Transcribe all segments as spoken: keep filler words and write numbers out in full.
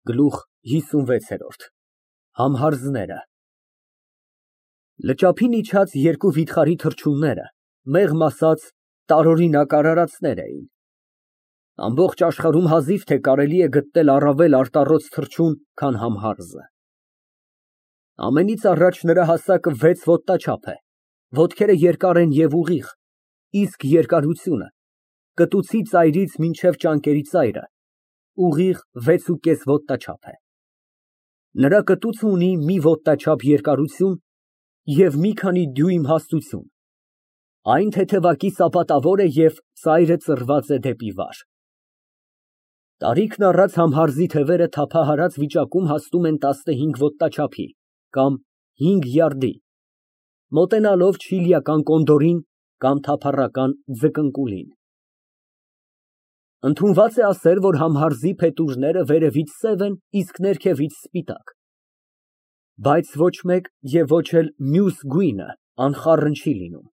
Գլուխ հիսունվեցորդ Համհարզները Լճափին իջած երկու վիթխարի թռչունները, մեղմ ասած, տարօրինակ արարածներ էին։ Ամբողջ աշխարհում հազիվ թե կարելի է գտնել առավել արտառոց թռչուն, քան համհարզը։ Ամենից առաջ նրա հասակը վեց ոտնաչափ է, ոտքերը երկար են և ուղիղ, իսկ երկարությունը կտուցի ծայրից մինչև ճանկերի ծայրը ուղիղ վեցուկես ոտնաչափ է։ Նրա կտուցը ունի մի ոտնաչափ երկարություն և մի քանի դյույմ հաստություն, այն թեթևակի սապատավոր է և ծայրը ծռված է դեպի վար։ Տարիքն առած համհարզի թևերը թափահարած վիճակում հասնում են տասնհինգ ոտնաչափի կամ հինգ յարդի, մոտենալով չիլիական կոնդորին կամ թափառական ձկնկուլին։ Ընդունված է ասել, որ համհարզի փետուրները վերևից սև են, իսկ ներքևից սպիտակ, բայց ոչ մեկ և ոչ էլ մյուս գույնը անխառն չի լինում։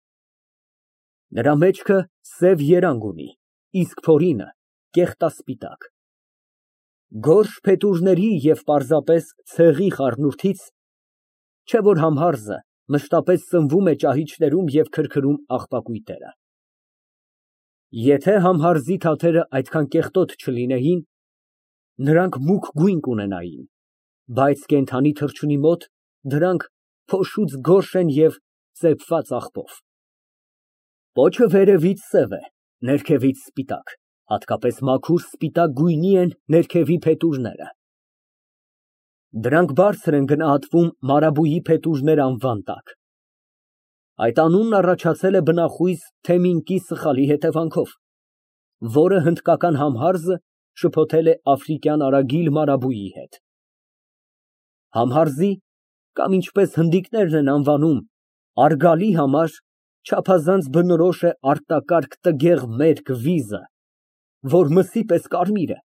Նրա մեջքը սև երանգ ունի, իսկ փորինը կեղտասպիտակ։ Գորշ փետուրների և պարզապես ցեղի խառնուրդից, չէ որ համհարզը մշտապես սնվում է ճահիճներում և քրքրում աղբակույտները։ Եթե համհարզի թաթերը այդքան կեղտոտ չլինեին, նրանք մուգ գույն կունենային, բայց կենդանի թռչունի մոտ դրանք փոշուց գորշ են և ծեփված աղբով։ Պոչը վերևից սև է, ներքևից սպիտակ, հատկապես մաքուր սպիտակ գույնի են ներքևի փետուրները։ Դրանք բարձր են գնահատվում մարաբույի փետուրներ անվան տակ։ Այդ անունն առաջացել է բնախույզ թեմինկի սխալի հետևանքով, որը հնդկական համհարզը շփոթել է աֆրիկյան արագիլ մարաբույի հետ։ Համհարզի կամ ինչպես հնդիկներն են անվանում արգալի համար չափազանց բնորոշ է արտակարգ տգեղ մերկ վիզը, որ մսի պես կարմիր է,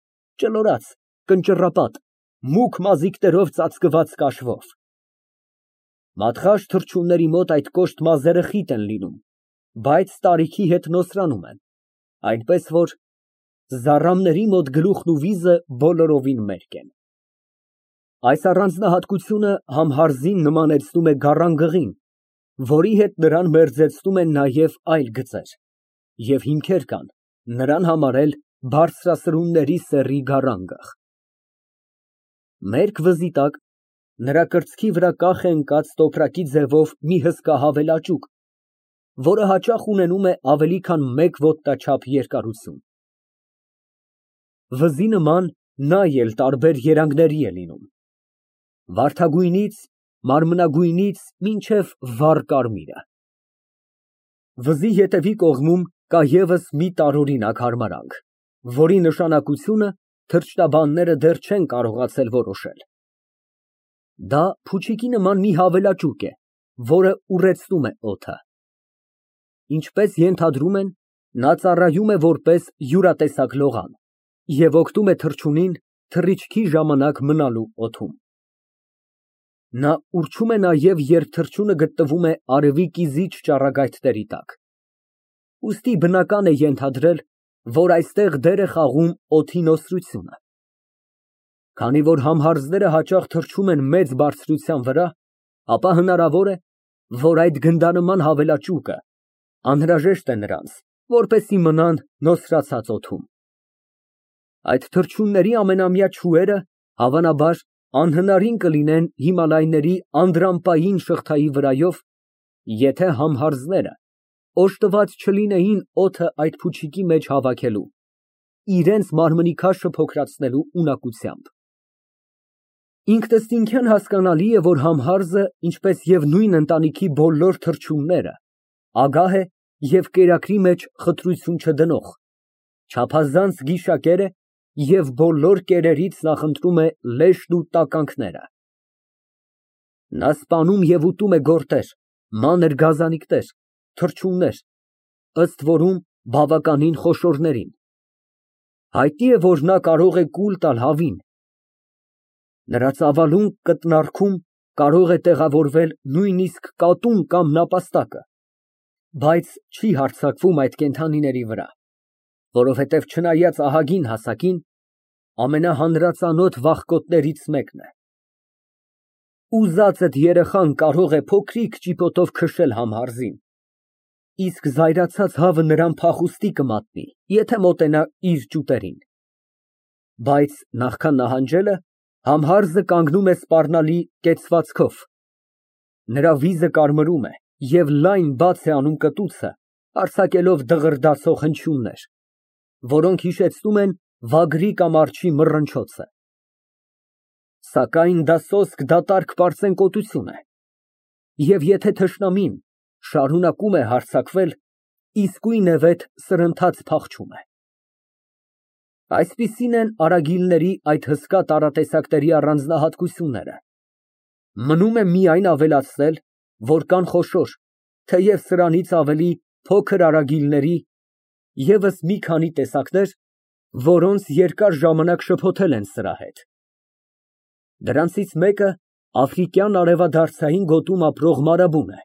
ճլորած, կնճռապատ, մուգ մազիկներով ծածկված կաշվով։ Մատղաշ թռչունների մոտ այդ կոշտ մազերը խիտ են լինում, բայց տարիքի հետ նոսրանում են, այնպես որ զառամների մոտ գլուխն ու վիզը բոլորովին մերկ են։ Այս առանձնահատկությունը համհարզին նմանեցնում է գառանգղին, որի հետ նրան մերձեցնում են նաև այլ գծեր, և հիմքեր կան նրան համարել բարձրասրունների սեռի գառանգղ։ Մերկ վզի տակ նրա կրծքի վրա կախ է ընկած տոպրակի ձևով մի հսկա հավելաճուկ, որը հաճախ ունենում է ավելի քան մեկ ոտնաչափ երկարություն։ Վզի նման նա էլ տարբեր երանգների է լինում, վարդագույնից մարմնագույնից մինչև վառ կարմիրը։ Վզի ետևի կողմում կա ևս մի տարօրինակ հարմարանք, որի նշանակությունը թռչնաբանները դեռ չեն կարողացել որոշել։ Դա փուչիկի նման մի հավելաճուկ է, որը ուռեցնում է օդը։ Ինչպես ենթադրում են, նա ծառայում է որպես յուրատեսակ լողան և օգնում է թռչունին թռիչքի ժամանակ մնալու օդում։ Նա ուռչում է նաև, երբ թռչունը գտնվում է արևի կիզիչ ճառագայթների տակ, ուստի բնական է ենթադրել, որ այստեղ դեր է խաղում օդի նոսրությունը։ Քանի որ համհարզները հաճախ թռչում են մեծ բարձրության վրա, ապա հնարավոր է, որ այդ գնդանման հավելաճուկը անհրաժեշտ է նրանց, որպեսզի մնան նոսրացած օդում։ Այդ թռչունների ամենամյա չուերը, հավանաբար, անհնարին կլինեն Հիմալայների անդրանպային շղթայի վրայով, եթե համհարզները օժտված չլինեին օդը այդ փուչիկի մեջ հավաքելու, իրենց մարմնի քաշը փոքրացնելու ունակությամբ։ Ինքնըստինքյան հասկանալի է, որ համհարզը, ինչպես և նույն ընտանիքի բոլոր թռչունները, ագահ է և կերակրի մեջ խտրություն չդնող, չափազանց գիշակեր է և բոլոր կերերից նախընտրում է լեշն ու տականքները։ Նա սպանում և ուտում է գորտեր, մանր գազանիկներ, թռչուններ, ըստ որում բավականին խոշորներին։ Հայտնի է, որ նա կարող է կուլ տալ հավին։ Նրա ծավալուն կտրնարքում կարող է տեղավորվել նույնիսկ կատուն կամ նապաստակը, բայց չի հարձակվում այդ կենդանիների վրա, որովհետև չնայած ահագին հասակին, ամենահանրածանոթ վախկոտներից մեկն է։ Ուզածդ երեխան կարող է փոքրիկ ճիպոտով քշել համհարզին, իսկ զայրացած հավը նրան փախուստի կմատնի, եթե մոտենա իր ճուտերին։ Բայց նախքան նահանջելը համհարզը կանգնում է սպառնալի կեցվածքով, նրա վիզը կարմրում է և լայն բաց է անում կտուցը, արձակելով դղրդացող հնչյուններ, որոնք հիշեցնում են վագրի կամ արջի մռնչոցը։ Սակայն դա սոսկ դատարկ պարծենկոտություն է, և եթե թշնամին շարունակում է հարձակվել, իսկույնևեթ սրընթաց փախչում է։ Այսպիսին են արագիլների այդ հսկա տարատեսակների առանձնահատկությունները։ Մնում է միայն ավելացնել, որ կան խոշոր, թեև սրանից ավելի փոքր արագիլների ևս մի քանի տեսակներ, որոնց երկար ժամանակ շփոթել են սրա հետ։ Դրանցից մեկը աֆրիկյան արևադարձային գոտում ապրող մարաբուն է,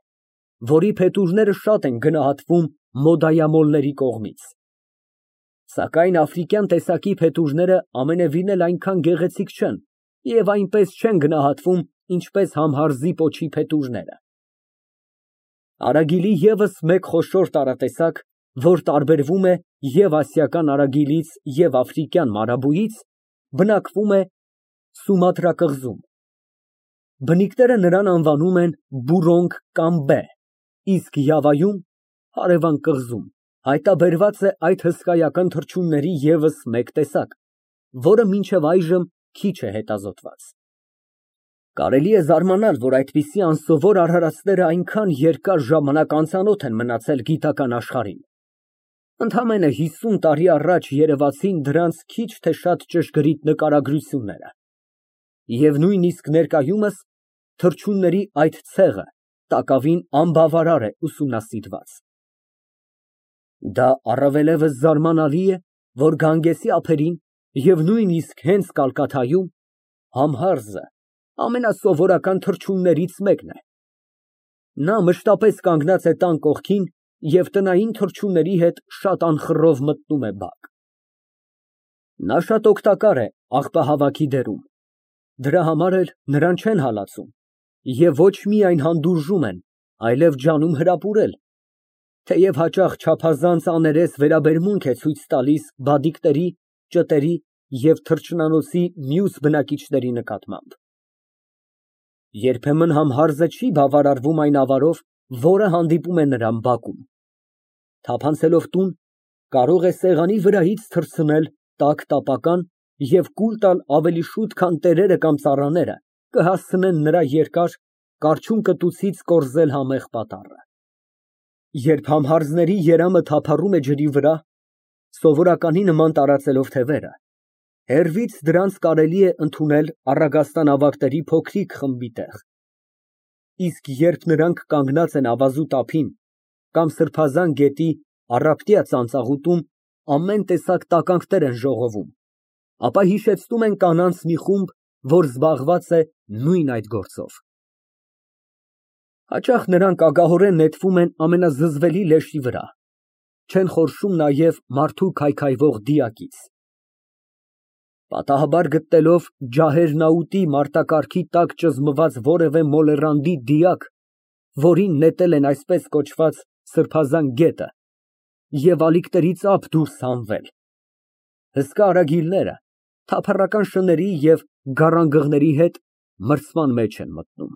որի փետուրները շատ են գնահատվում մոդայամոլների կողմից։ Սակայն աֆրիկյան տեսակի փետուրները ամենևին էլ այնքան գեղեցիկ չեն և այնպես չեն գնահատվում, ինչպես համհարզի պոչի փետուրները։ Արագիլի ևս մեկ խոշոր տարատեսակ, որ տարբերվում է և ասիական արագիլից, և աֆրիկյան մարաբույից, բնակվում է Սումատրա կղզում։ Բնիկները նրան անվանում են բուրոնգ կամ բե, իսկ Յավայում (հարևան կղզում) հայտնաբերված է այդ հսկայական թռչունների ևս մեկ տեսակ, որը մինչև այժմ քիչ է հետազոտված։ Կարելի է զարմանալ, որ այդպիսի անսովոր արարածները այնքան երկար ժամանակ անծանոթ են մնացել գիտական աշխարհին։ Ընդամենը հիսուն տարի առաջ երևացին դրանց քիչ թե շատ ճշգրիտ նկարագրությունները, և նույնիսկ ներկայումս թռչունների այդ ցեղը տակավին անբավարար է ուսումնասիրված։ Դա առավելևս զարմանալի է, որ Գանգեսի ափերին և նույնիսկ հենց Կալկաթայում համհարզը ամենասովորական թռչուններից մեկն է։ Նա մշտապես կանգնած է տան կողքին և տնային թռչունների հետ շատ անխռով մտնում է բակ։ Նա շատ օգտակար է աղբահավաքի դերում, դրա համար էլ նրան չեն հալածում և ոչ միայն հանդուրժում են, այլև ջանում հրապուրել, թեև հաճախ չափազանց աներես վերաբերմունք է ցույց տալիս բադիկների, ճտերի և թռչնանոցի մյուս բնակիչների նկատմամբ։ Երբեմն համհարզը չի բավարարվում այն ավարով, որը հանդիպում է նրան բակում։ Թափանցելով տուն, կարող է սեղանի վրայից թռցնել տաք տապական և կուլ տալ ավելի շուտ, քան տերերը կամ ծառաները կհասցնեն նրա երկար, կառչուն կտուցից կորզել համեղ պատառը։ Երբ համհարզների երամը թափառում է ջրի վրա, սովորականի նման տարածելով թևերը, հեռվից դրանց կարելի է ընդունել առագաստանավակների փոքրիկ խմբի տեղ, իսկ երբ նրանք կանգնած են ավազուտ ափին կամ սրբազան գետի առապտյա ծանծաղուտում ամեն տեսակ տականքներ են ժողովում, ապա հիշեցնում են կանանց մի խումբ, որ զբաղված է նույն այդ գործով։ Հաճախ նրանք ագահորեն նետվում են ամենազզվելի լեշի վրա, չեն խորշում նաև մարդու քայքայվող դիակից։ Պատահաբար գտնելով ջահերնաուտի մարտակառքի տակ ճզմված որևէ մոլեռանդի դիակ, որին նետել են այսպես կոչված սրբազան գետը, և ալիքներից ափ դուրս հանվել, հսկա արագիլները թափառական շների և գառանգղների հետ մրցման մեջ են մտնում։